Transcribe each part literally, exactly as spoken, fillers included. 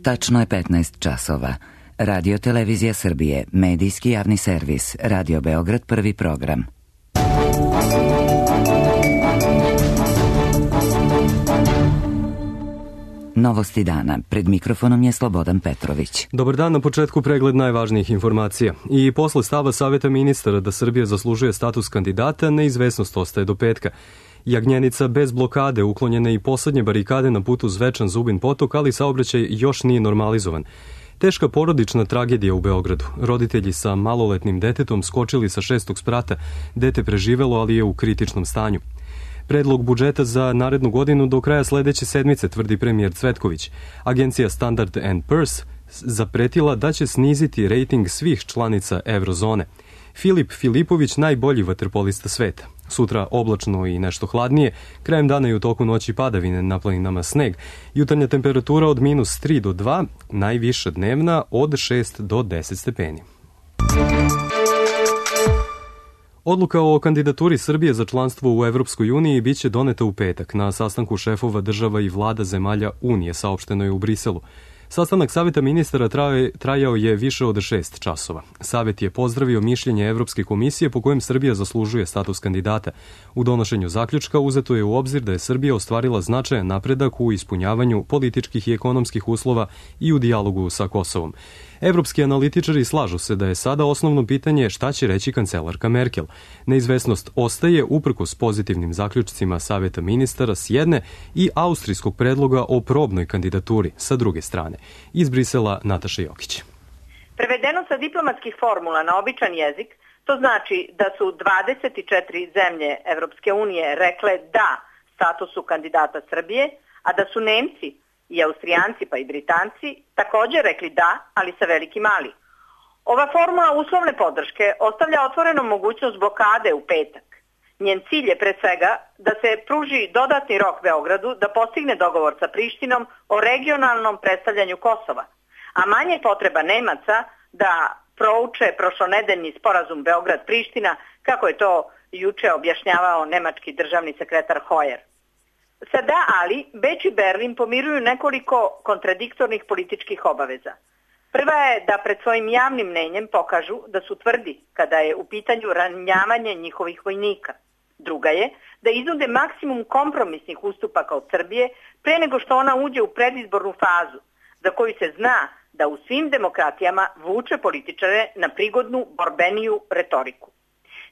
Tačno je petnaest časova. Radio Televizija Srbije, medijski javni servis, Radio Beograd, prvi program. Novosti dana. Pred mikrofonom je Slobodan Petrović. Dobar dan, na početku pregled najvažnijih informacija. I posle stava Saveta ministara da Srbija zaslužuje status kandidata, neizvesnost ostaje do petka. Jagnjenica bez blokade, uklonjene i poslednje barikade na putu Zvečan Zubin potok, ali saobraćaj još nije normalizovan. Teška porodična tragedija u Beogradu. Roditelji sa maloletnim detetom skočili sa šestog sprata. Dete preživelo, ali je u kritičnom stanju. Predlog budžeta za narednu godinu do kraja sledeće sedmice, tvrdi premijer Cvetković. Agencija Standard and Poor's zapretila da će sniziti rejting svih članica Eurozone. Filip Filipović, najbolji vaterpolista sveta. Sutra oblačno i nešto hladnije, krajem dana i u toku noći padavine, na planinama sneg. Jutarnja temperatura od minus tri do dva, najviša dnevna od šest do deset stepeni. Odluka o kandidaturi Srbije za članstvo u Evropskoj uniji biće doneta u petak na sastanku šefova država i vlada zemalja Unije, saopšteno je u Briselu. Sastanak Saveta ministara trajao je više od šest časova. Savet je pozdravio mišljenje Evropske komisije po kojem Srbija zaslužuje status kandidata. U donošenju zaključka uzeto je u obzir da je Srbija ostvarila značajan napredak u ispunjavanju političkih i ekonomskih uslova i u dijalogu sa Kosovom. Evropski analitičari slažu se da je sada osnovno pitanje šta će reći kancelarka Merkel. Neizvesnost ostaje uprkos pozitivnim zaključcima Saveta ministara s jedne i austrijskog predloga o probnoj kandidaturi sa druge strane. Iz Brisela Nataša Jokić. Prevedeno sa diplomatskih formula na običan jezik, to znači da su dvadeset četiri zemlje Evropske unije rekle da statusu kandidata Srbije, a da su Nemci i Austrijanci pa i Britanci također rekli da, ali sa velikim ali. Ova formula uslovne podrške ostavlja otvorenom mogućnost blokade u petak. Njen cilj je pre svega da se pruži dodatni rok Beogradu da postigne dogovor sa Prištinom o regionalnom predstavljanju Kosova, a manje potreba Nemaca da prouče prošlonedeljni sporazum Beograd-Priština, kako je to juče objašnjavao nemački državni sekretar Hoyer. Sada, ali, Beč i Berlin pomiruju nekoliko kontradiktornih političkih obaveza. Prva je da pred svojim javnim mnenjem pokažu da su tvrdi kada je u pitanju ranjavanje njihovih vojnika. Druga je da iznude maksimum kompromisnih ustupaka od Srbije pre nego što ona uđe u predizbornu fazu, za koju se zna da u svim demokratijama vuče političare na prigodnu borbeniju retoriku.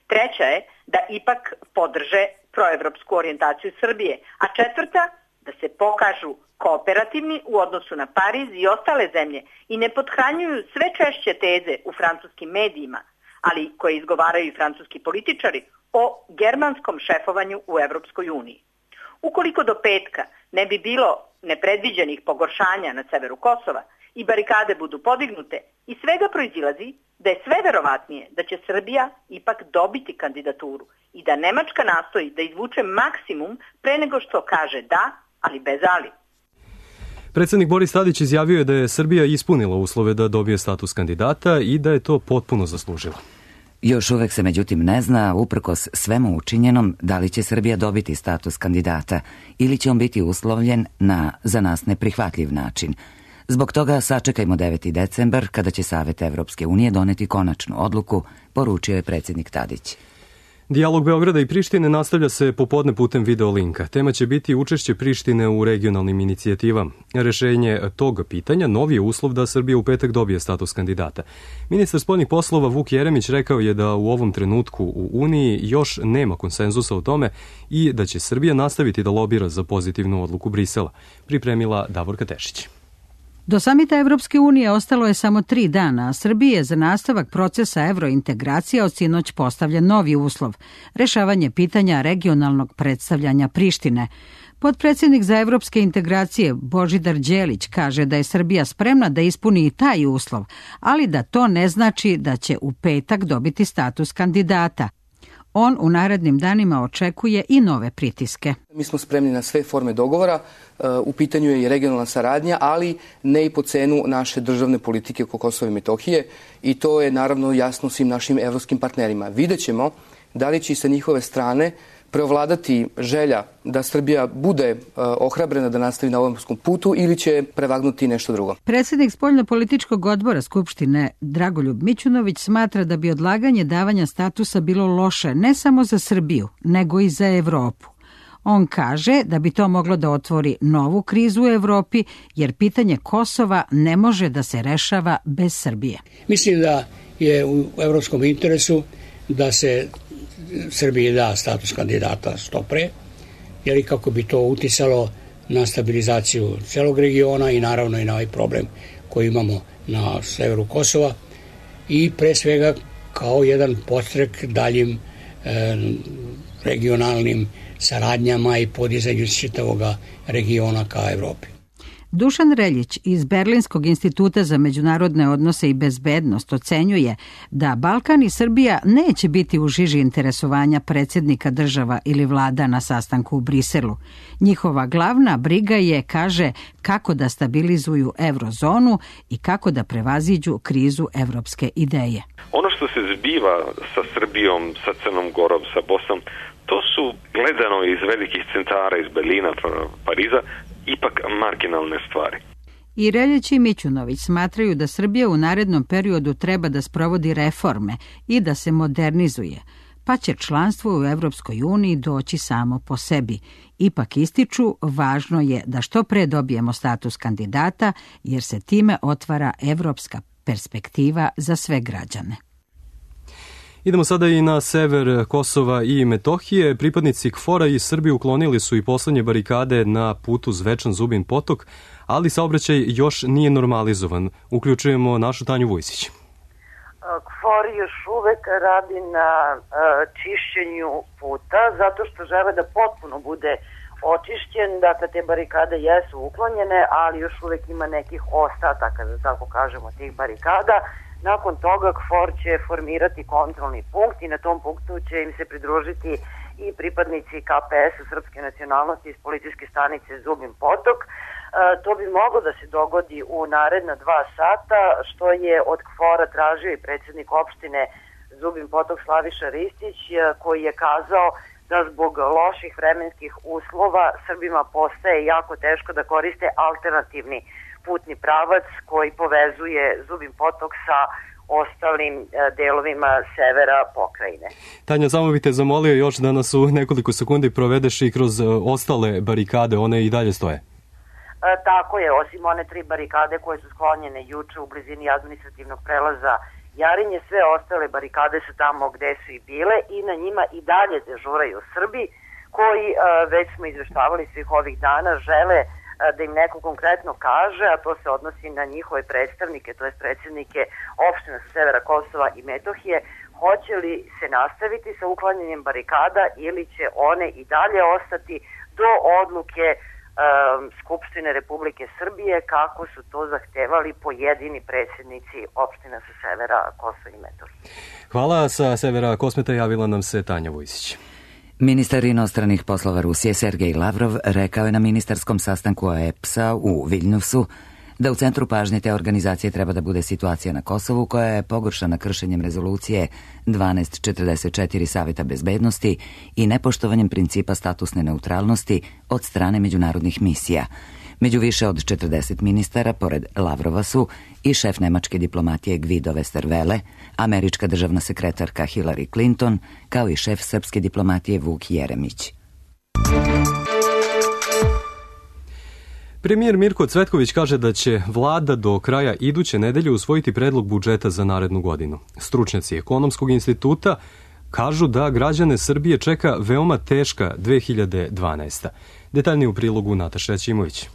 Treća je da ipak podrže proevropsku orijentaciju Srbije, a četvrta da se pokažu kooperativni u odnosu na Pariz i ostale zemlje i ne pothranjuju sve češće teze u francuskim medijima, ali koje izgovaraju i francuski političari, o germanskom šefovanju u Evropskoj uniji. Ukoliko do petka ne bi bilo nepredviđenih pogoršanja na severu Kosova i barikade budu podignute, iz svega proizilazi da je sve verovatnije da će Srbija ipak dobiti kandidaturu i da Nemačka nastoji da izvuče maksimum pre nego što kaže da, ali bez ali. Predsednik Boris Tadić izjavio je da je Srbija ispunila uslove da dobije status kandidata i da je to potpuno zaslužila. Još uvek se međutim ne zna, uprkos svemu učinjenom, da li će Srbija dobiti status kandidata ili će on biti uslovljen na za nas neprihvatljiv način. Zbog toga sačekajmo deveti decembar kada će Savet Evropske unije doneti konačnu odluku, poručio je predsednik Tadić. Dijalog Beograda i Prištine nastavlja se popodne putem video linka. Tema će biti učešće Prištine u regionalnim inicijativama. Rešenje tog pitanja novi je uslov da Srbija u petak dobije status kandidata. Ministar spoljnih poslova Vuk Jeremić rekao je da u ovom trenutku u Uniji još nema konsenzusa o tome i da će Srbija nastaviti da lobira za pozitivnu odluku Brisela. Pripremila Davorka Tešić. Do samita Evropske unije ostalo je samo tri dana, a Srbiji je za nastavak procesa evrointegracija od sinoć postavljen novi uslov – rešavanje pitanja regionalnog predstavljanja Prištine. Potpredsjednik za evropske integracije Božidar Đelić kaže da je Srbija spremna da ispuni i taj uslov, ali da to ne znači da će u petak dobiti status kandidata. On u narednim danima očekuje i nove pritiske. Mi smo spremni na sve forme dogovora, u pitanju je i regionalna saradnja, ali ne i po cenu naše državne politike oko Kosova i Metohije i to je naravno jasno svim našim evropskim partnerima. Vidjet ćemo da li će i sa njihove strane preovladati želja da Srbija bude ohrabrena da nastavi na ovom putu ili će prevagnuti nešto drugo? Predsjednik spoljnopolitičkog odbora Skupštine Dragoljub Mićunović smatra da bi odlaganje davanja statusa bilo loše ne samo za Srbiju, nego i za Evropu. On kaže da bi to moglo da otvori novu krizu u Evropi, jer pitanje Kosova ne može da se rešava bez Srbije. Mislim da je u evropskom interesu da se Srbiji da status kandidata što pre, jer i kako bi to uticalo na stabilizaciju celog regiona i naravno i na ovaj problem koji imamo na severu Kosova i pre svega kao jedan podstrek daljim e, regionalnim saradnjama i podizanju čitavog regiona ka Evropi. Dušan Reljić iz Berlinskog instituta za međunarodne odnose i bezbednost ocenjuje da Balkan i Srbija neće biti u žiži interesovanja predsjednika država ili vlada na sastanku u Briselu. Njihova glavna briga je, kaže, kako da stabilizuju eurozonu i kako da prevaziđu krizu evropske ideje. Ono što se zbiva sa Srbijom, sa Crnom Gorom, sa Bosnom, to su gledano iz velikih centara, iz Berlina, Pariza, ipak marginalne stvari. I Reljić i Mićunović smatraju da Srbija u narednom periodu treba da sprovodi reforme i da se modernizuje, pa će članstvo u Evropskoj uniji doći samo po sebi. Ipak ističu, važno je da što pre dobijemo status kandidata, jer se time otvara evropska perspektiva za sve građane. Idemo sada i na sever Kosova i Metohije. Pripadnici KFOR-a iz Srbije uklonili su i poslednje barikade na putu Zvečan Zubin Potok, ali saobraćaj još nije normalizovan. Uključujemo našu Tanju Vujsić. KFOR još uvek radi na čišćenju puta zato što žele da potpuno bude očišćen. Dakle, te barikade jesu uklonjene, ali još uvek ima nekih ostataka, da tako kažemo, tih barikada. Nakon toga KFOR će formirati kontrolni punkt i na tom punktu će im se pridružiti i pripadnici K P S-a srpske nacionalnosti iz policijske stanice Zubin Potok. E, to bi moglo da se dogodi u naredna dva sata, što je od KFOR-a tražio i predsjednik opštine Zubin Potok Slaviša Ristić, koji je kazao da zbog loših vremenskih uslova Srbima postaje jako teško da koriste alternativni putni pravac koji povezuje Zubin Potok sa ostalim delovima severa pokrajine. Tanja, samo bih te zamolio još da nas u nekoliko sekundi provedeš i kroz ostale barikade, one i dalje stoje. E, tako je, osim one tri barikade koje su sklonjene juče u blizini administrativnog prelaza Jarinje, sve ostale barikade su tamo gde su i bile i na njima i dalje dežuraju Srbi koji, e, već smo izveštavali svih ovih dana, žele da im neko konkretno kaže, a to se odnosi na njihove predstavnike, to je predsjednike opština sa severa Kosova i Metohije, hoće li se nastaviti sa uklanjanjem barikada ili će one i dalje ostati do odluke um, Skupštine Republike Srbije, kako su to zahtevali pojedini predsjednici opština sa severa Kosova i Metohije. Hvala, sa severa Kosmeta javila nam se Tanja Vujsić. Ministar inostranih poslova Rusije Sergej Lavrov rekao je na ministarskom sastanku O E P S-a u Viljnusu da u centru pažnje te organizacije treba da bude situacija na Kosovu koja je pogoršana kršenjem rezolucije dvanaest četrdeset četiri Saveta bezbednosti i nepoštovanjem principa statusne neutralnosti od strane međunarodnih misija. Među više od četrdeset ministara, pored Lavrova su i šef nemačke diplomatije Guido Westerwelle, američka državna sekretarka Hillary Clinton, kao i šef srpske diplomatije Vuk Jeremić. Premijer Mirko Cvetković kaže da će vlada do kraja iduće nedelje usvojiti predlog budžeta za narednu godinu. Stručnjaci Ekonomskog instituta kažu da građane Srbije čeka veoma teška dve hiljade dvanaesta. Detaljnije u prilogu Nataša Ćimović.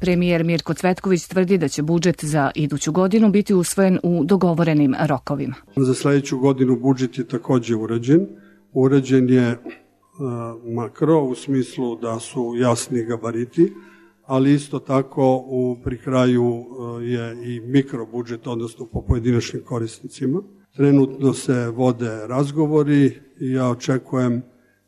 Premijer Mirko Cvetković tvrdi da će budžet za iduću godinu biti usvojen u dogovorenim rokovima. Za sledeću godinu budžet je takođe urađen. Urađen je uh, makro u smislu da su jasni gabariti, ali isto tako u pri kraju uh, je i mikrobudžet, odnosno po pojedinačnim korisnicima. Trenutno se vode razgovori i ja očekujem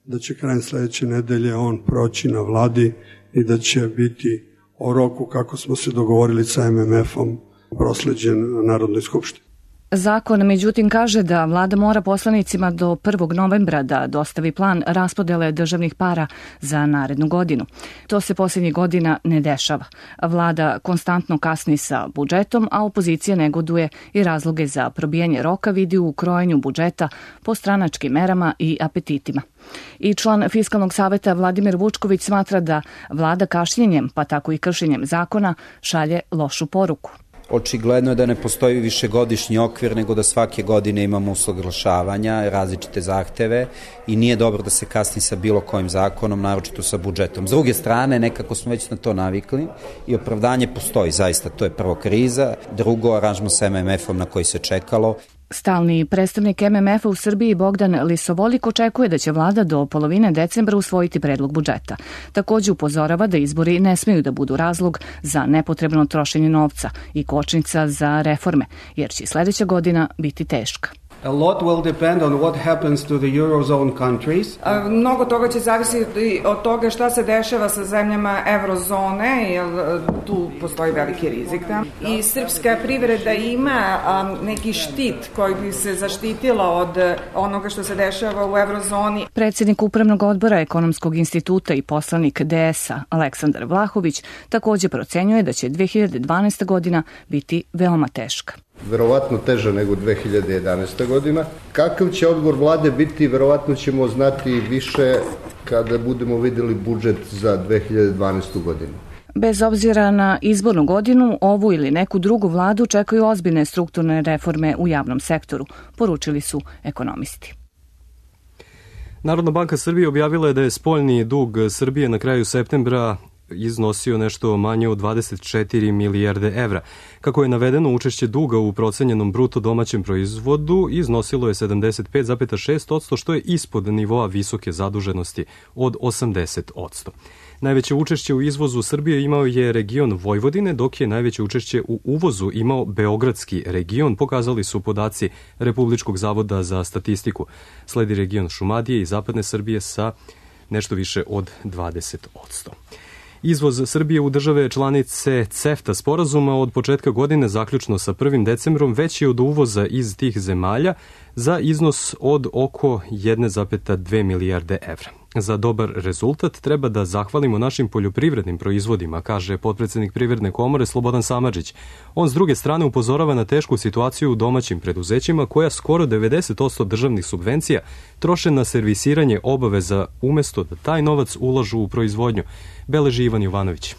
da će krajem sledeće nedelje on proći na vladi i da će biti o roku kako smo se dogovorili sa M M F-om prosleđen Narodnoj skupštini. Zakon, međutim, kaže da vlada mora poslanicima do prvog novembra da dostavi plan raspodele državnih para za narednu godinu. To se posljednjih godina ne dešava. Vlada konstantno kasni sa budžetom, a opozicija negoduje i razloge za probijanje roka vidi u krojenju budžeta po stranačkim merama i apetitima. I član Fiskalnog saveta Vladimir Vučković smatra da vlada kašnjenjem, pa tako i kršenjem zakona, šalje lošu poruku. Očigledno je da ne postoji višegodišnji okvir, nego da svake godine imamo usaglašavanja, različite zahteve i nije dobro da se kasni sa bilo kojim zakonom, naročito sa budžetom. S druge strane, nekako smo već na to navikli i opravdanje postoji, zaista, to je prvo kriza, drugo aranžman sa M M F-om na koji se čekalo. Stalni predstavnik M M F-a u Srbiji Bogdan Lisovolik očekuje da će vlada do polovine decembra usvojiti predlog budžeta. Takođe upozorava da izbori ne smeju da budu razlog za nepotrebno trošenje novca i kočnica za reforme, jer će sledeća godina biti teška. A lot will depend on what happens to the Eurozone countries. A, mnogo toga će zavisiti od toga šta se dešava sa zemljama Eurozone, jer tu postoji veliki rizik. Da? I srpska privreda ima a, neki štit koji bi se zaštitila od onoga što se dešava u Eurozoni. Predsjednik Upravnog odbora Ekonomskog instituta i poslanik D S-a Aleksandar Vlahović takođe procenjuje da će dve hiljade dvanaesta godina biti veoma teška. Verovatno teža nego dve hiljade jedanaesta godina. Kakav će odgovor vlade biti, verovatno ćemo znati više kada budemo videli budžet za dve hiljade dvanaestu godinu. Bez obzira na izbornu godinu, ovu ili neku drugu vladu čekaju ozbiljne strukturne reforme u javnom sektoru, poručili su ekonomisti. Narodna banka Srbije objavila je da je spoljni dug Srbije na kraju septembra iznosio nešto manje od dvadeset četiri milijarde evra. Kako je navedeno, učešće duga u procenjenom bruto domaćem proizvodu iznosilo je sedamdeset pet zarez šest posto, što je ispod nivoa visoke zaduženosti od osamdeset posto. Najveće učešće u izvozu Srbije imao je region Vojvodine, dok je najveće učešće u uvozu imao Beogradski region, pokazali su podaci Republičkog zavoda za statistiku. Sledi region Šumadije i Zapadne Srbije sa nešto više od dvadeset posto. Izvoz Srbije u države članice CEFTA sporazuma od početka godine zaključno sa prvim decembrom veći je od uvoza iz tih zemalja za iznos od oko jedne zarez dve milijarde evra. Za dobar rezultat treba da zahvalimo našim poljoprivrednim proizvodima, kaže potpredsednik Privredne komore Slobodan Samardžić. On s druge strane upozorava na tešku situaciju u domaćim preduzećima koja skoro devedeset posto državnih subvencija troše na servisiranje obaveza umesto da taj novac ulažu u proizvodnju, beleži Ivan Jovanović.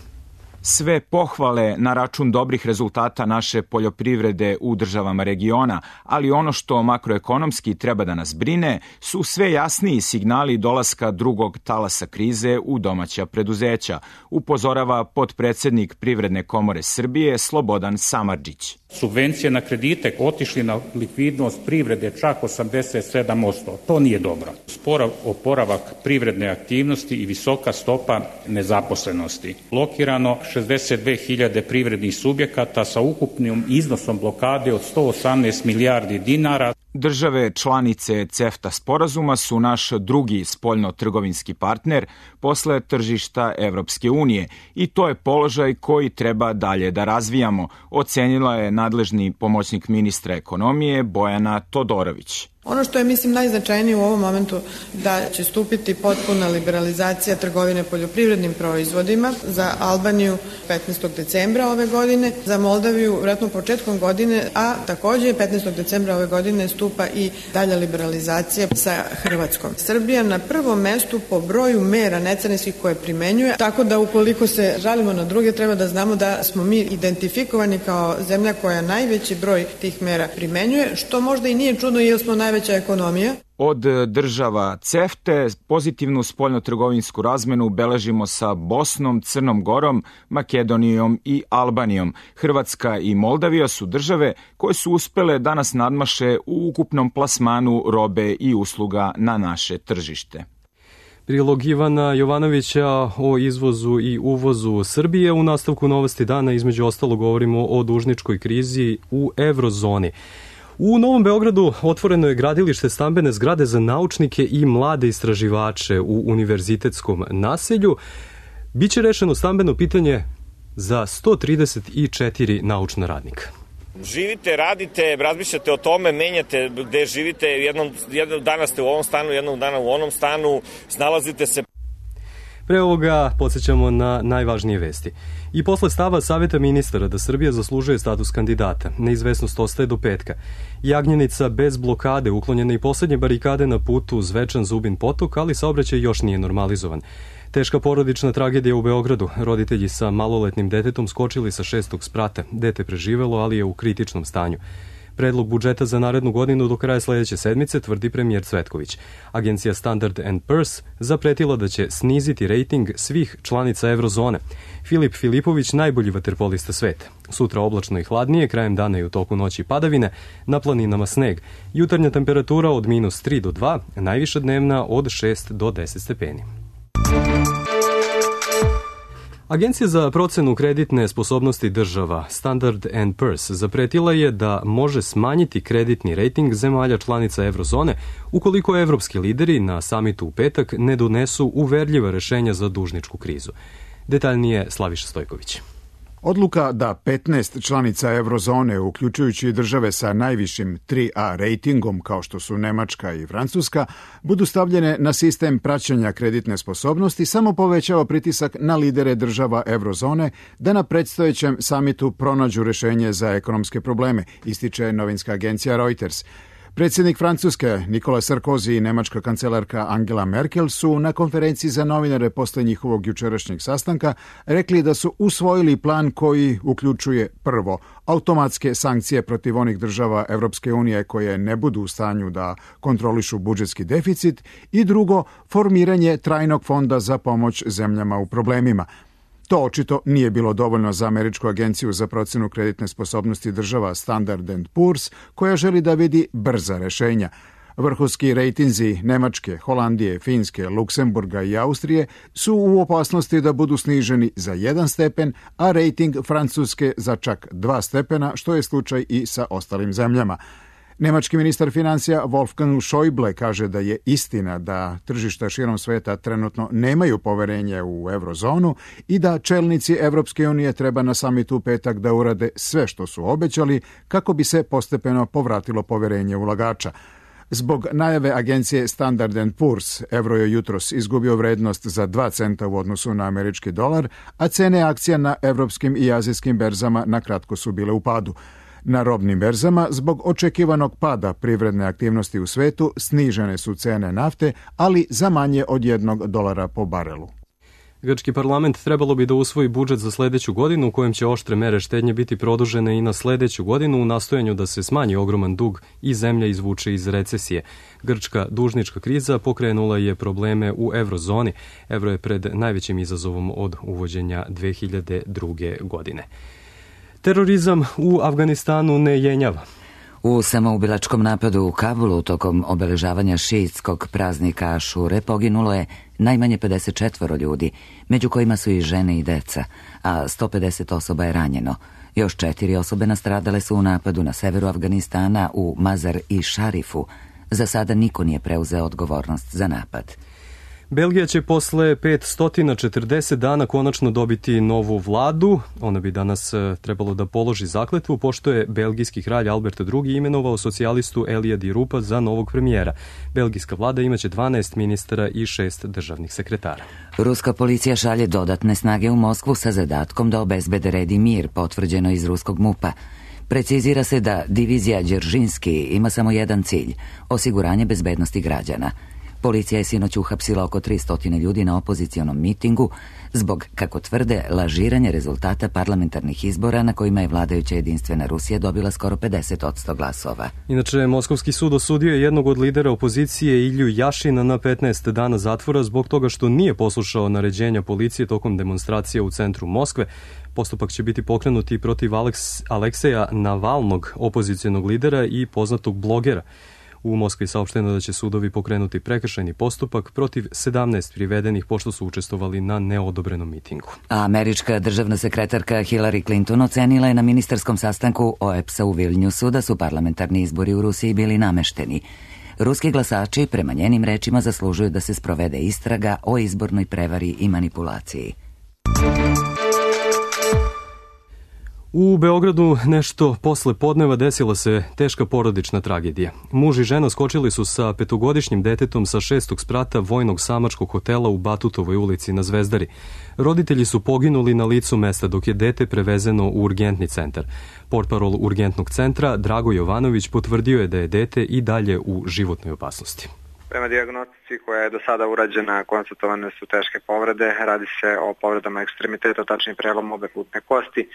Sve pohvale na račun dobrih rezultata naše poljoprivrede u državama regiona, ali ono što makroekonomski treba da nas brine su sve jasniji signali dolaska drugog talasa krize u domaća preduzeća, upozorava potpredsednik Privredne komore Srbije Slobodan Samardžić. Subvencije na kredite otišli na likvidnost privrede čak osamdeset sedam posto. To nije dobro. Spor oporavak privredne aktivnosti i visoka stopa nezaposlenosti. Blokirano šezdeset dve hiljade privrednih subjekata sa ukupnim iznosom blokade od sto osamnaest milijardi dinara. Države članice CEFTA sporazuma su naš drugi spoljno-trgovinski partner posle tržišta Evropske unije i to je položaj koji treba dalje da razvijamo, ocenila je nadležni pomoćnik ministra ekonomije Bojana Todorović. Ono što je, mislim, najznačajnije u ovom momentu da će stupiti potpuna liberalizacija trgovine poljoprivrednim proizvodima za Albaniju petnaestog decembra ove godine, za Moldaviju vjerojatno početkom godine, a takođe petnaestog decembra ove godine stupa i dalja liberalizacija sa Hrvatskom. Srbija na prvom mestu po broju mera necarinskih koje primenjuje, tako da ukoliko se žalimo na druge, treba da znamo da smo mi identifikovani kao zemlja koja najveći broj tih mera primenjuje, što možda i nije čudno jer smo najveća ekonomija. Od država CEFTA pozitivnu spoljnotrgovinsku razmenu beležimo sa Bosnom, Crnom Gorom, Makedonijom i Albanijom. Hrvatska i Moldavija su države koje su uspele da nas nadmaše u ukupnom plasmanu robe i usluga na naše tržište. Prilog Ivana Jovanovića o izvozu i uvozu Srbije. U nastavku Novosti dana između ostalo govorimo o dužničkoj krizi u eurozoni. U Novom Beogradu otvoreno je gradilište stambene zgrade za naučnike i mlade istraživače u univerzitetskom naselju. Biće rešeno stambeno pitanje za sto trideset četiri naučna radnika. Živite, radite, razmišljate o tome, menjate gde živite, jednom, jednog dana ste u ovom stanu, jednog dana u onom stanu, snalazite se. Pre ovoga podsjećamo na najvažnije vesti. I posle stava Saveta ministara da Srbija zaslužuje status kandidata, neizvesnost ostaje do petka. Jagnjenica bez blokade, uklonjene i poslednje barikade na putu Zvečan Zubin Potok, ali saobraćaj još nije normalizovan. Teška porodična tragedija u Beogradu. Roditelji sa maloletnim detetom skočili sa šestog sprata. Dete preživelo, ali je u kritičnom stanju. Predlog budžeta za narednu godinu do kraja sledeće sedmice, tvrdi premijer Cvetković. Agencija Standard and Poor's zapretila da će sniziti rejting svih članica Eurozone. Filip Filipović, najbolji vaterpolista sveta. Sutra oblačno i hladnije, krajem dana i u toku noći padavine, na planinama sneg. Jutarnja temperatura od minus tri do dva, najviša dnevna od šest do deset stepeni. Agencija za procenu kreditne sposobnosti država Standard and Poor's zapretila je da može smanjiti kreditni rejting zemalja članica Eurozone ukoliko evropski lideri na samitu u petak ne donesu uverljiva rešenja za dužničku krizu. Detaljnije Slaviša Stojković. Odluka da petnaest članica Eurozone, uključujući države sa najvišim tri A rejtingom, kao što su Nemačka i Francuska, budu stavljene na sistem praćenja kreditne sposobnosti, samo povećava pritisak na lidere država Eurozone da na predstojećem samitu pronađu rešenje za ekonomske probleme, ističe novinska agencija Reuters. Predsjednik Francuske Nikola Sarkozy i nemačka kancelarka Angela Merkel su na konferenciji za novinare posle njihovog jučerašnjeg sastanka rekli da su usvojili plan koji uključuje prvo automatske sankcije protiv onih država Evropske unije koje ne budu u stanju da kontrolišu budžetski deficit i drugo formiranje trajnog fonda za pomoć zemljama u problemima. To očito nije bilo dovoljno za Američku agenciju za procenu kreditne sposobnosti država Standard and Poor's, koja želi da vidi brza rešenja. Vrhunski rejtinzi Nemačke, Holandije, Finske, Luksemburga i Austrije su u opasnosti da budu sniženi za jedan stepen, a rejting Francuske za čak dva stepena, što je slučaj i sa ostalim zemljama. Nemački ministar financija Wolfgang Schäuble kaže da je istina da tržišta širom sveta trenutno nemaju poverenje u eurozonu i da čelnici Evropske unije treba na samitu u petak da urade sve što su obećali kako bi se postepeno povratilo poverenje ulagača. Zbog najave agencije Standard and Poor's, evro je jutros izgubio vrednost za dva centa u odnosu na američki dolar, a cene akcija na evropskim i azijskim berzama na kratko su bile u padu. Na robnim berzama, zbog očekivanog pada privredne aktivnosti u svetu, snižene su cene nafte, ali za manje od jednog dolara po barelu. Grčki parlament trebalo bi da usvoji budžet za sledeću godinu u kojem će oštre mere štednje biti produžene i na sledeću godinu u nastojanju da se smanji ogroman dug i zemlja izvuče iz recesije. Grčka dužnička kriza pokrenula je probleme u eurozoni. Evro je pred najvećim izazovom od uvođenja dve hiljade druge. godine. Terorizam u Afganistanu ne jenjava. U samoubilačkom napadu u Kabulu tokom obeležavanja šiitskog praznika Ašure poginulo je najmanje pedeset četvoro ljudi, među kojima su i žene i deca, a sto pedeset osoba je ranjeno. Još četiri osobe nastradale su u napadu na severu Afganistana u Mazar i Šarifu. Za sada niko nije preuzeo odgovornost za napad. Belgija će posle petsto četrdeset dana konačno dobiti novu vladu. Ona bi danas trebalo da položi zakletvu, pošto je belgijski kralj Albert drugi imenovao socijalistu Elija Di Rupa za novog premijera. Belgijska vlada imaće dvanaest ministara i šest državnih sekretara. Ruska policija šalje dodatne snage u Moskvu sa zadatkom da obezbede red i mir, potvrđeno iz ruskog mupa. Precizira se da divizija Đeržinski ima samo jedan cilj – osiguranje bezbednosti građana. Policija je sinoć uhapsila oko tristo ljudi na opozicionom mitingu zbog, kako tvrde, lažiranja rezultata parlamentarnih izbora na kojima je vladajuća Jedinstvena Rusija dobila skoro pedeset posto glasova. Inače, Moskovski sud osudio je jednog od lidera opozicije Ilju Jašina na petnaest dana zatvora zbog toga što nije poslušao naređenja policije tokom demonstracije u centru Moskve. Postupak će biti pokrenut i protiv Aleks, Alekseja Navalnog, opozicionog lidera i poznatog blogera. U Moskvi je saopšteno da će sudovi pokrenuti prekršajni postupak protiv sedamnaest privedenih pošto su učestvovali na neodobrenom mitingu. Američka državna sekretarka Hillary Clinton ocenila je na ministarskom sastanku O E P S-a u Vilniusu da su parlamentarni izbori u Rusiji bili namešteni. Ruski glasači, prema njenim rečima, zaslužuju da se sprovede istraga o izbornoj prevari i manipulaciji. U Beogradu nešto posle podneva desila se teška porodična tragedija. Muž i žena skočili su sa petogodišnjim detetom sa šestog sprata vojnog samačkog hotela u Batutovoj ulici na Zvezdari. Roditelji su poginuli na licu mesta dok je dete prevezeno u urgentni centar. Portparol urgentnog centra Drago Jovanović potvrdio je da je dete i dalje u životnoj opasnosti. Prema dijagnostici koja je do sada urađena, konstatovane su teške povrede. Radi se o povredama ekstremiteta, tačnije prelom obe putne kosti,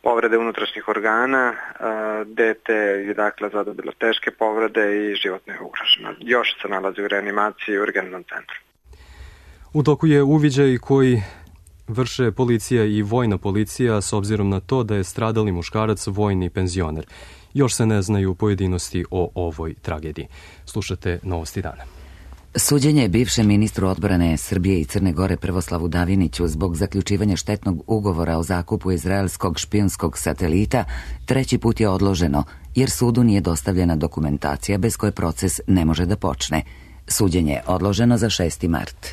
povrede unutrašnjih organa. Dete je dakle zadobilo teške povrede i životno je ugroženo. Još se nalazi u reanimaciji u urgentnom centru. U toku je uviđaj koji vrše policija i vojna policija s obzirom na to da je stradali muškarac vojni penzioner. Još se ne znaju pojedinosti o ovoj tragediji. Slušate Novosti dana. Suđenje bivšem ministru odbrane Srbije i Crne Gore Prvoslavu Daviniću zbog zaključivanja štetnog ugovora o zakupu izraelskog špijunskog satelita treći put je odloženo, jer sudu nije dostavljena dokumentacija bez koje proces ne može da počne. Suđenje je odloženo za šesti mart.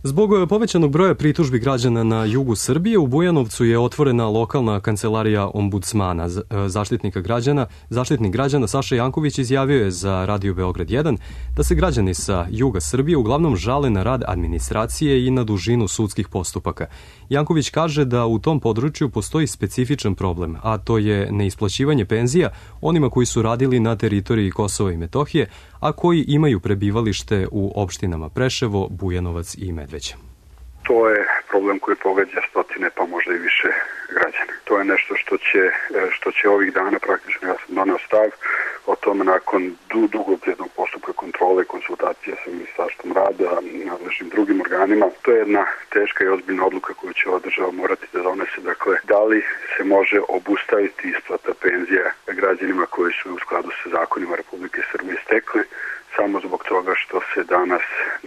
Zbog povećanog broja pritužbi građana na jugu Srbije, u Bujanovcu je otvorena lokalna kancelarija ombudsmana. Zaštitnika građana, zaštitnik građana Saša Janković izjavio je za Radio Beograd jedan da se građani sa juga Srbije uglavnom žale na rad administracije i na dužinu sudskih postupaka. Janković kaže da u tom području postoji specifičan problem, a to je neisplaćivanje penzija onima koji su radili na teritoriji Kosova i Metohije, a koji imaju prebivalište u opštinama Preševo, Bujanovac i Medveđa. To je problem koji pogađa stotine, pa možda i više građana. To je nešto što će, što će ovih dana, praktično ja sam doneo stav o tome nakon dugog jednog postupka kontrole i konsultacije sa Ministarstvom rada i nadležnim drugim organima. To je jedna teška i ozbiljna odluka koju će ova država morati da donese. Dakle, da li se može obustaviti isplata penzija građanima koji su u skladu sa zakonima Republike Srbije stekli, samo zbog toga što se danas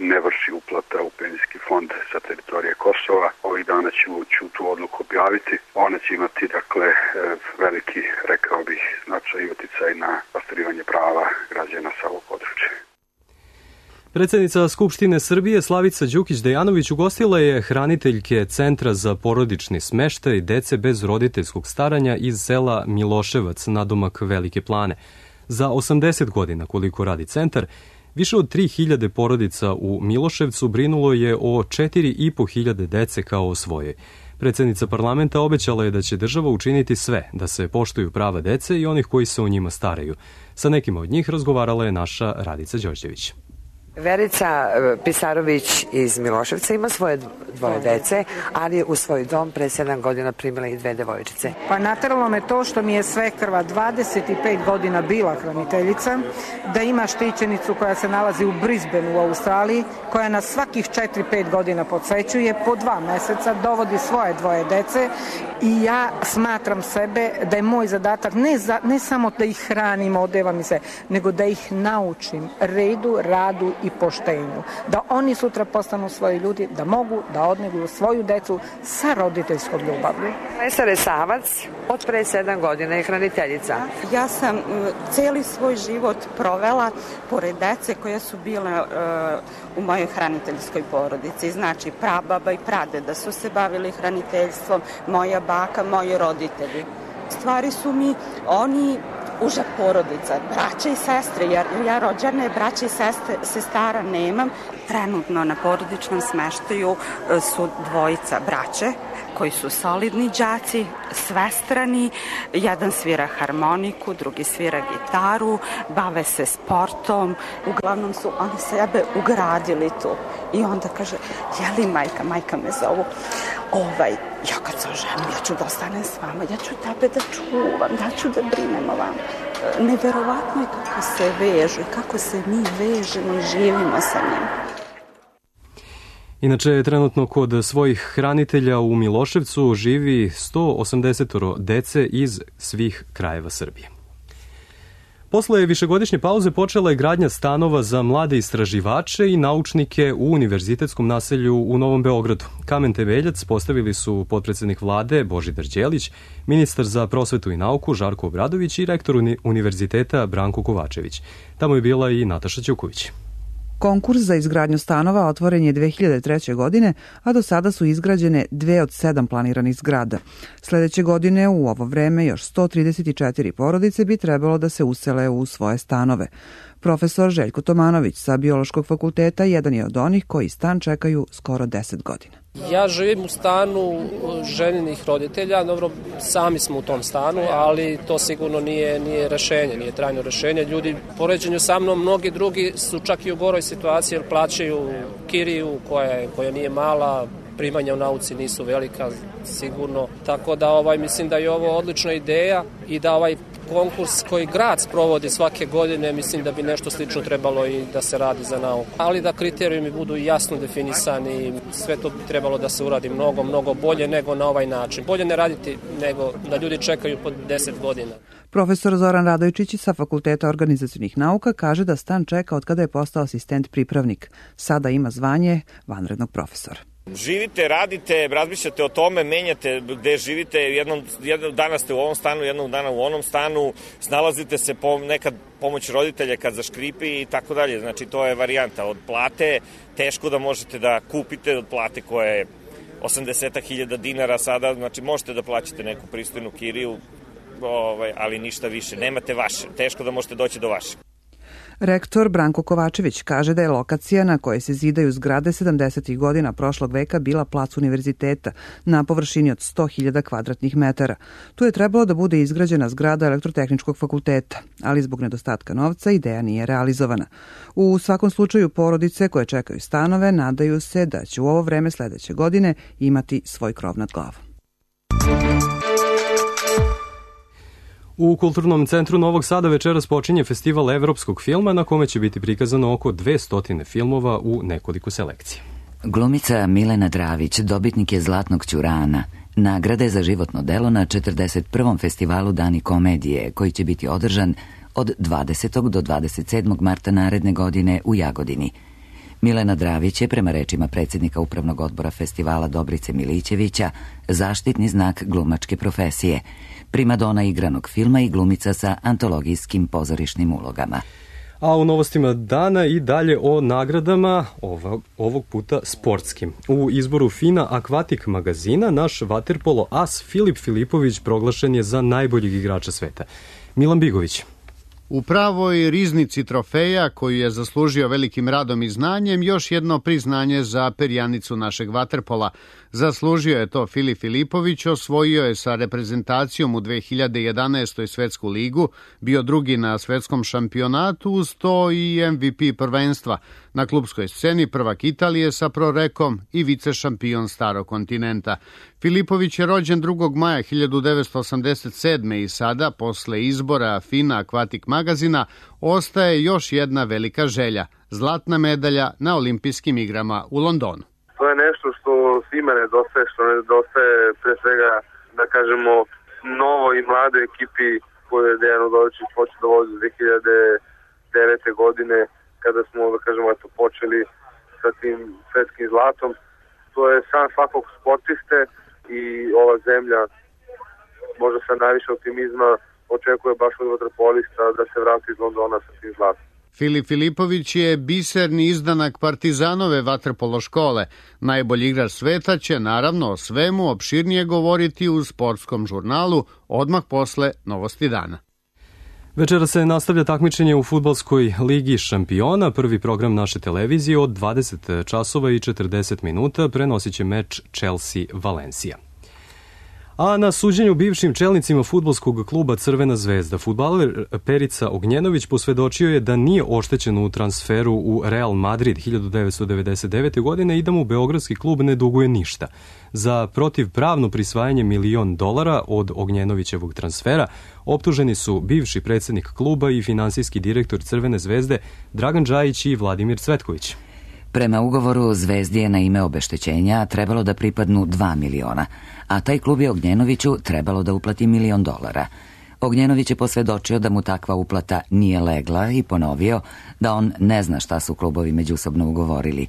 ne vrši uplata u penzijski fond sa teritorije Kosova. Ovih dana ću, ću tu odluku objaviti. Ona će imati, dakle, veliki, rekao bih, značaj i uticaj na ostvarivanje prava građana sa ovog područja. Predsednica Skupštine Srbije Slavica Đukić-Dejanović ugostila je hraniteljke Centra za porodični smeštaj dece bez roditeljskog staranja iz sela Miloševac, nadomak Velike Plane. Za osamdeset godina koliko radi centar, više od tri hiljade porodica u Miloševcu brinulo je o četiri i po hiljade dece kao o svojoj. Predsednica parlamenta obećala je da će država učiniti sve da se poštuju prava dece i onih koji se o njima staraju. Sa nekima od njih razgovarala je naša Radica Đorđević. Verica Pisarović iz Miloševca ima svoje dvoje dece, ali u svoj dom pre sedam godina primila i dve devojčice. Pa nateralo me to što mi je svekrva dvadeset pet godina bila hraniteljica, da ima štićenicu koja se nalazi u Brisbaneu u Australiji, koja nas svakih četiri pet godina podsećuje, po dva meseca dovodi svoje dvoje dece i ja smatram sebe da je moj zadatak ne, za, ne samo da ih hranim, odevam i sve, nego da ih naučim redu, radu i poštenju. Da oni sutra postanu svoji ljudi, da mogu da odneguju svoju decu sa roditeljskom ljubavlju. Vesna Resavac od pre sedam godina je hraniteljica. Ja sam celi svoj život provela pored dece koje su bile uh, u mojoj hraniteljskoj porodici. Znači, prababa i pradeda su se bavili hraniteljstvom, moja baka, moji roditelji. Stvari su mi oni uža porodica, braća i sestre, jer ja rođene braća i sestre, sestara nemam. Trenutno na porodičnom smeštaju su dvojica braće koji su solidni đaci, svestrani, jedan svira harmoniku, drugi svira gitaru, bave se sportom, uglavnom su oni sebe ugradili tu. I onda kaže, je li majka, majka me zovu, ovaj, ja kad se oženim, ja ću da ostanem s vama, ja ću tebe da čuvam, da ću da brinem o vama. Neverovatno je kako se vežu i kako se mi vežemo i živimo sa njim. Inače, trenutno kod svojih hranitelja u Miloševcu živi sto osamdeset dece iz svih krajeva Srbije. Posle višegodišnje pauze počela je gradnja stanova za mlade istraživače i naučnike u univerzitetskom naselju u Novom Beogradu. Kamen temeljac postavili su potpredsednik vlade Božidar Đelić, ministar za prosvetu i nauku Žarko Obradović i rektor univerziteta Branko Kovačević. Tamo je bila i Nataša Ćuković. Konkurs za izgradnju stanova otvoren je dve hiljade treće. godine, a do sada su izgrađene dve od sedam planiranih zgrada. Sledeće godine u ovo vreme još sto trideset četiri porodice bi trebalo da se usele u svoje stanove. Profesor Željko Tomanović sa Biološkog fakulteta jedan je od onih koji stan čekaju skoro deset godina. Ja živim u stanu ženinih roditelja, dobro, sami smo u tom stanu, ali to sigurno nije, nije rešenje, nije trajno rešenje. Ljudi, poređenju sa mnom, mnogi drugi su čak i u goroj situaciji jer plaćaju kiriju koja, koja nije mala, primanja u nauci nisu velika sigurno, tako da ovaj, mislim da je ovo odlična ideja i da ovaj konkurs koji grad sprovodi svake godine, mislim da bi nešto slično trebalo i da se radi za nauku. Ali da kriterijumi budu jasno definisani, sve to bi trebalo da se uradi mnogo, mnogo bolje nego na ovaj način. Bolje ne raditi nego da ljudi čekaju po deset godina. Profesor Zoran Radojčić sa Fakulteta organizacionih nauka kaže da stan čeka od kada je postao asistent pripravnik. Sada ima zvanje vanrednog profesora. Živite, radite, razmišljate o tome, menjate gde živite, jednom, jednog dana ste u ovom stanu, jednog dana u onom stanu, snalazite se po, nekad pomoć roditelja kad zaškripi i tako dalje. Znači to je varijanta od plate, teško da možete da kupite od plate koja je osamdeset hiljada dinara sada, znači možete da plaćate neku pristojnu kiriju, ovaj, ali ništa više, nemate vaše, teško da možete doći do vaše. Rektor Branko Kovačević kaže da je lokacija na kojoj se zidaju zgrade sedamdesetih godina prošlog veka bila plac univerziteta na površini od sto hiljada kvadratnih metara. Tu je trebalo da bude izgrađena zgrada Elektrotehničkog fakulteta, ali zbog nedostatka novca ideja nije realizovana. U svakom slučaju porodice koje čekaju stanove nadaju se da će u ovo vreme sledeće godine imati svoj krov nad glavom. U Kulturnom centru Novog Sada večeras počinje festival evropskog filma na kome će biti prikazano oko dvesta filmova u nekoliko selekcija. Glumica Milena Dravić dobitnik je Zlatnog ćurana, nagrade za životno delo na četrdeset prvom festivalu Dani komedije, koji će biti održan od dvadesetog do dvadeset sedmog marta naredne godine u Jagodini. Milena Dravić je, prema rečima predsjednika Upravnog odbora festivala Dobrice Milićevića, zaštitni znak glumačke profesije, primadona igranog filma i glumica sa antologijskim pozorišnim ulogama. A u novostima dana i dalje o nagradama, ovog, ovog puta sportskim. U izboru FINA Aquatic magazina naš vaterpolo as Filip Filipović proglašen je za najboljeg igrača sveta. Milan Bigović. U pravoj riznici trofeja, koju je zaslužio velikim radom i znanjem, još jedno priznanje za perjanicu našeg vaterpola. Zaslužio je to Filip Filipović, osvojio je sa reprezentacijom u dve hiljade jedanaestoj svetsku ligu, bio drugi na svetskom šampionatu, uz to i em ve pe prvenstva. Na klubskoj sceni prvak Italije sa prorekom i vice šampion starog kontinenta. Filipović je rođen drugog maja hiljadu devetsto osamdeset sedme i sada, posle izbora FINA Aquatic magazina, ostaje još jedna velika želja, zlatna medalja na olimpijskim igrama u Londonu. To je nešto što svima nedostaje, što nedostaje pre svega, da kažemo, novo i mlade ekipi koju je Dejan Udovičić počeo da vozi dve hiljade devete. godine, kada smo, da kažemo, eto, počeli sa tim svetskim zlatom. To je san svakog sportiste i ova zemlja možda sa najviše optimizma očekuje baš od vaterpolista da se vrati iz Londona sa tim zlatom. Filip Filipović je biserni izdanak Partizanove vaterpolo škole. Najbolji igrač sveta će naravno o svemu opširnije govoriti u sportskom žurnalu odmah posle Novosti dana. Večera se nastavlja takmičenje u fudbalskoj ligi šampiona. Prvi program naše televizije od dvadeset časova i četrdeset minuta prenosit će meč Chelsea-Valencija. A na suđenju bivšim čelnicima fudbalskog kluba Crvena zvezda, fudbaler Perica Ognjenović posvedočio je da nije oštećen u transferu u Real Madrid hiljadu devetsto devedeset devete. godine i da mu beogradski klub ne duguje ništa. Za protivpravno prisvajanje milion dolara od Ognjenovićevog transfera optuženi su bivši predsjednik kluba i finansijski direktor Crvene zvezde Dragan Džajić i Vladimir Cvetković. Prema ugovoru Zvezdi je na ime obeštećenja trebalo da pripadnu dva miliona, a taj klub je Ognjenoviću trebalo da uplati milion dolara. Ognjenović je posvedočio da mu takva uplata nije legla i ponovio da on ne zna šta su klubovi međusobno ugovorili.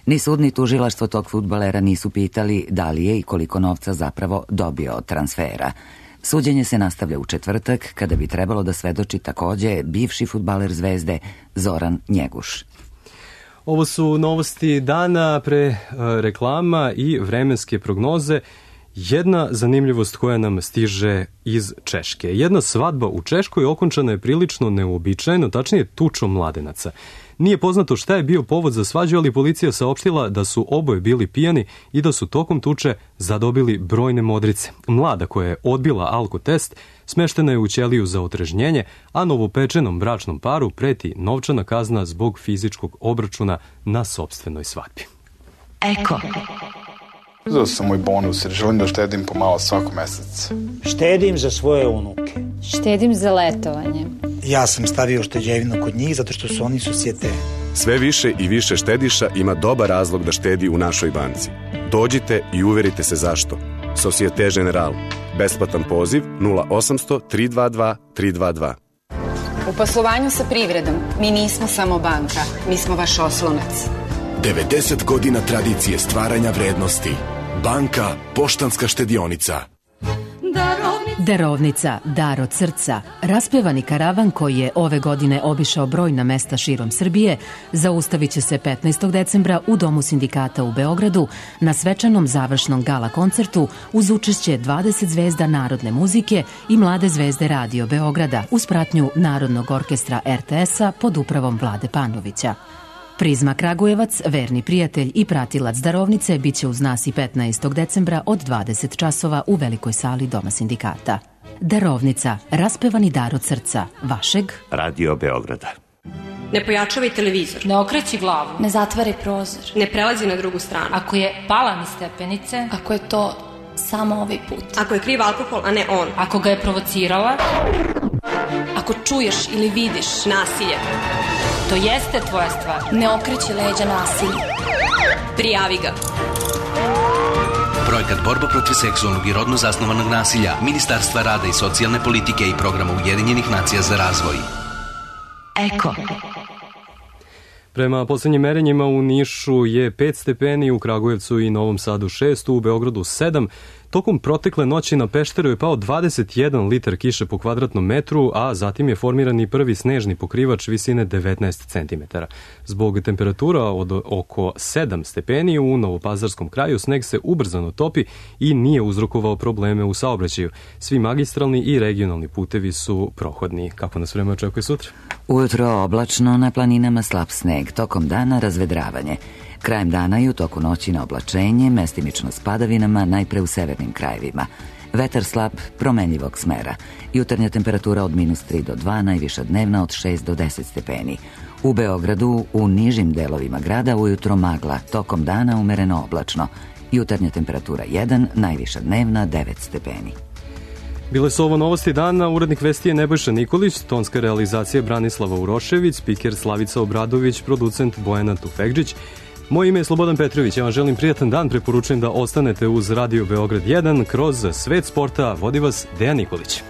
Ni sud ni tužilaštvo tog fudbalera nisu pitali da li je i koliko novca zapravo dobio od transfera. Suđenje se nastavlja u četvrtak, kada bi trebalo da svedoči takođe bivši fudbaler Zvezde Zoran Njeguš. Ovo su novosti dana pre reklama i vremenske prognoze. Jedna zanimljivost koja nam stiže iz Češke. Jedna svadba u Češkoj okončana je prilično neuobičajeno, tačnije tučom mladenaca. Nije poznato šta je bio povod za svađu, ali policija saopštila da su oboje bili pijani i da su tokom tuče zadobili brojne modrice. Mlada koja je odbila alkotest smeštena je u ćeliju za otrežnjenje, a novopečenom bračnom paru preti novčana kazna zbog fizičkog obračuna na sopstvenoj svadbi. Eko. Uzeo sam moj bonus jer želim da štedim pomalo svako mesec. Štedim za svoje unuke. Štedim za letovanje. Ja sam stavio šteđevinu kod njih zato što su oni susjete. Sve više i više štediša ima dobar razlog da štedi u našoj banci. Dođite i uverite se zašto. Societe Generale. Besplatan poziv nula osamsto tri dva dva tri dva dva. U poslovanju sa privredom mi nismo samo banka, mi smo vaš oslonac. devedeset godina tradicije stvaranja vrednosti. Banka Poštanska štedionica. Darovnica, dar od srca, raspevani karavan koji je ove godine obišao brojna mesta širom Srbije, zaustavit će se petnaestog decembra u Domu sindikata u Beogradu na svečanom završnom gala koncertu uz učešće dvadeset zvezda narodne muzike i mlade zvezde Radio Beograda uz pratnju Narodnog orkestra er te es-a pod upravom Vlade Panovića. Prizma Kragujevac, verni prijatelj i pratilac darovnice, bit će uz nas i petnaestog decembra od dvadeset časova u velikoj sali Doma sindikata. Darovnica, raspevani dar od srca, vašeg Radio Beograda. Ne pojačavaj televizor. Ne okreći glavu. Ne zatvaraj prozor. Ne prelazi na drugu stranu. Ako je pala niz stepenice. Ako je to samo ovaj put. Ako je kriv alkohol, a ne on. Ako ga je provocirala. Ako čuješ ili vidiš nasilje. To jeste tvoja stvar. Ne okreći leđa nasilju. Prijavi ga. Projekat Borba protiv seksualnog i rodno zasnovanog nasilja Ministarstva rada i socijalne politike i Programa Ujedinjenih nacija za razvoj. Eko. Prema poslednjim merenjima u Nišu je pet stepeni, u Kragujevcu i Novom Sadu šest, u Beogradu sedam. Tokom protekle noći na Pešteru je pao dvadeset jedan litar kiše po kvadratnom metru, a zatim je formiran i prvi snežni pokrivač visine devetnaest centimetara. Zbog temperatura od oko sedam stepeni u Novopazarskom kraju sneg se ubrzano topi i nije uzrokovao probleme u saobraćaju. Svi magistralni i regionalni putevi su prohodni. Kako nas vreme očekuje sutra? Ujutro oblačno, na planinama slab sneg, tokom dana razvedravanje. Krajem dana i u toku noći na oblačenje, mestimično s padavinama, najpre u severnim krajevima. Vetar slab, promenljivog smera. Jutarnja temperatura od minus tri do dva, najviša dnevna od šest do deset stepeni. U Beogradu, u nižim delovima grada, ujutro magla, tokom dana umereno oblačno. Jutarnja temperatura jedan, najviša dnevna devet stepeni. Bile su ovo novosti dana, urednik vesti je Nebojša Nikolić, tonska realizacija Branislava Urošević, spiker Slavica Obradović, producent Bojana Tufekđić. Moje ime je Slobodan Petrović, ja vam želim prijatan dan, preporučujem da ostanete uz Radio Beograd jedan, kroz svet sporta vodi vas Dejan Nikolić.